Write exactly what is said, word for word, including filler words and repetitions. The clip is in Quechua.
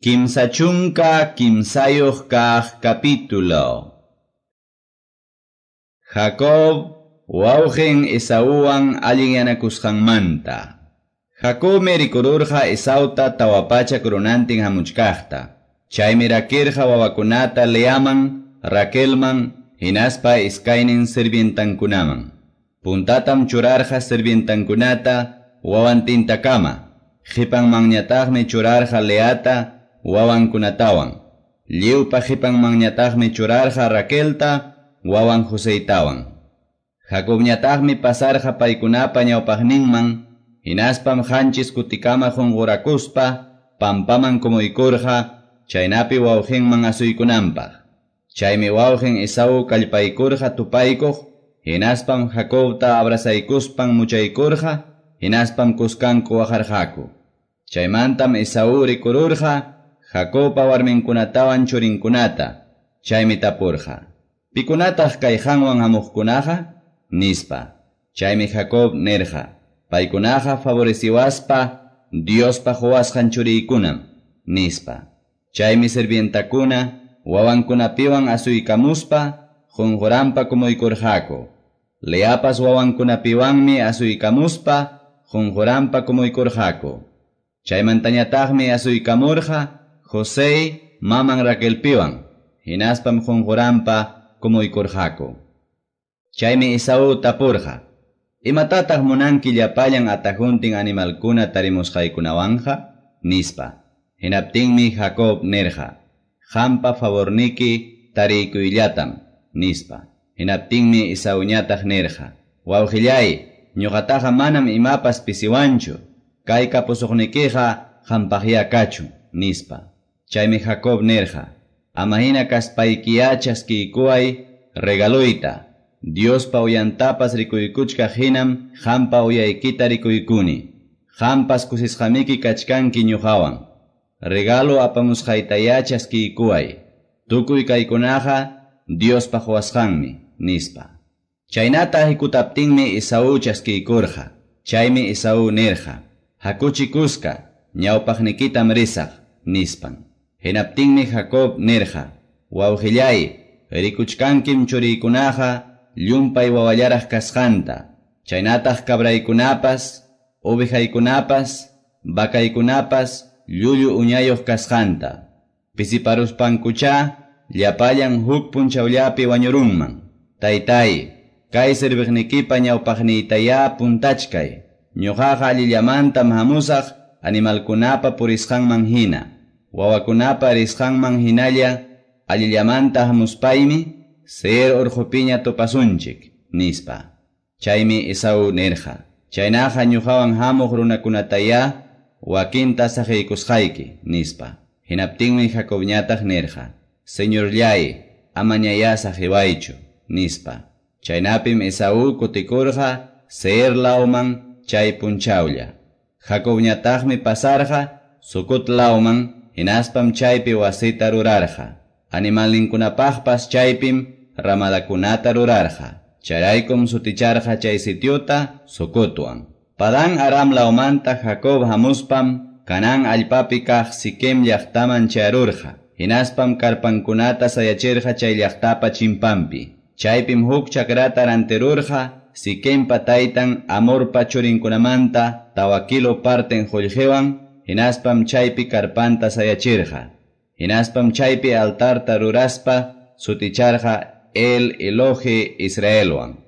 Kimsa chunka kimsayuq kaq capítulo. Jacob wawqin Esauwan allinyanakusqanmanta. Jacobmi rikururqa Esauta tawa pachak runantin hamuchkaqta. Chaymi rakirqa wawakunata Leaman, Raquelman, hinaspa iskaynin sirvientankunaman. Puntatam churarqa sirvientankunata wawantintakama. Qipanmanñataqmi churarqa Leata wawankunatawan. Lliwpa qipanmanñataqmi churarqa Raquelta wawan Joseytawan. Jacobñataqmi pasarqa paykunapa ñawpaqninman, hinaspam qanchis kutikama qunqurakuspa pampaman kumuykurqa chaynapi wawqinman asuykunanpaq. Chaymi wawqin Esaú kallpaykurqa tupaykuq, hinaspam Jacobta abrazaykuspan muchaykurqa, hinaspam kuskanku waqarqaku. Chaymantam Esaú rikururqa Jacobpa warminkunatawan churinkunata, chaymi tapurqa: "Pikunataq kay qanwan hamuqkunaqa?" nispa. Chaymi Jacob nirqa: "Paykunaqa favoreciwaspa Diospa quwasqan churiykunam", nispa. Chaymi sirvientakuna wawankunapiwan asuykamuspa qunquranpa kumuykurqaku. Leapas wawankunapiwanmi asuykamuspa qunquranpa kumuykurqaku. Chaymantañataqmi asuykamurqa José maman Raquelpiwan, hinaspam qunquranpa kumuykurqaku. Chaymi Esaú tapurqa: "¿Imatataq munanki llapallan atajuntin animalkuna tarimusqaykunawanqa?" nispa. Hinaptinmi Jacob nirqa: "Qampa favorniki tariykuyllatam", nispa. Hinaptinmi Esauñataq nirqa: "Wawqillay, ñuqataqa manam imapas pisiwanchu. Kay kapusuqnikiqa qampaqya kachun", nispa. Chaymi Jacob nirqa: "Ama hina kaspaykiya chaskiykuway regaluyta. Diospa uyantapas rikuykuchkaq hinam qampa uyaykita rikuykuni. Qampas kusisqamiki kachkanki ñuqawan. Regalo apamusqaytaya chaskiykuway. Tukuy kaykunaqa Diospa quwasqanmi", nispa. Chaynata hikutaptinmi Esaú chaskiykurqa. Chaymi Esaú nirqa: "Hakuchi kuska, ñawpaqnikitam risaq", nispan. Hinaptinmi Jacob nirqa: "Wawqillay, rikuchkankim churiykunaqa llumpay wawallaraq kasqanta. Chaynataq cabraykunapas, ovejaykunapas, vacaykunapas llullu uñayuq kasqanta. Pisiparuspankuchá llapallan huk punchawllapi wañurunman. Taytay, kay serviqnikipa ñawpaqniytayá puntachkay. Ñuqaqa allillamantam hamusaq animalkunapa purisqanman hina. Wawakunapa risqanman hinalla allillamanta hamuspaymi Seir urqupiña tupasunchik", nispa. Chaymi Esaú nirqa: "Chaynaqa ñuqawan hamuq runakunatayá wakinta saqiykusqayki", nispa. Hinaptinmi Jacobñataq nirqa: "Señorllay, amañayá saqiwaychu", nispa. Chaynapim Esaú kutikurqa Seir lawman chay punchawlla. Jacobñataqmi pasarqa Sucot lawman, hinaspam chaypi wasita rurarqa. Animalninkunapaqpas chaypim ramadakunata rurarqa. Chayraykum suticharqa chay sitiota Sucotwan. Padán Aram lawmanta Jacob hamuspam Canaán allpapi kaq Siquem llaqtaman chayarurqa. Hinaspam karpankunata sayachirqa chay llaqtapa chimpanpi. Chaypim huk chakrata rantirurqa Siquempa taytan Hamorpa churinkunamanta tawa kilo parten qullqiwan, hinaspam chaypi karpanta sayachirqa. Hinaspam chaypi altarta ruraspa suticharqa El Elohe Israelwan.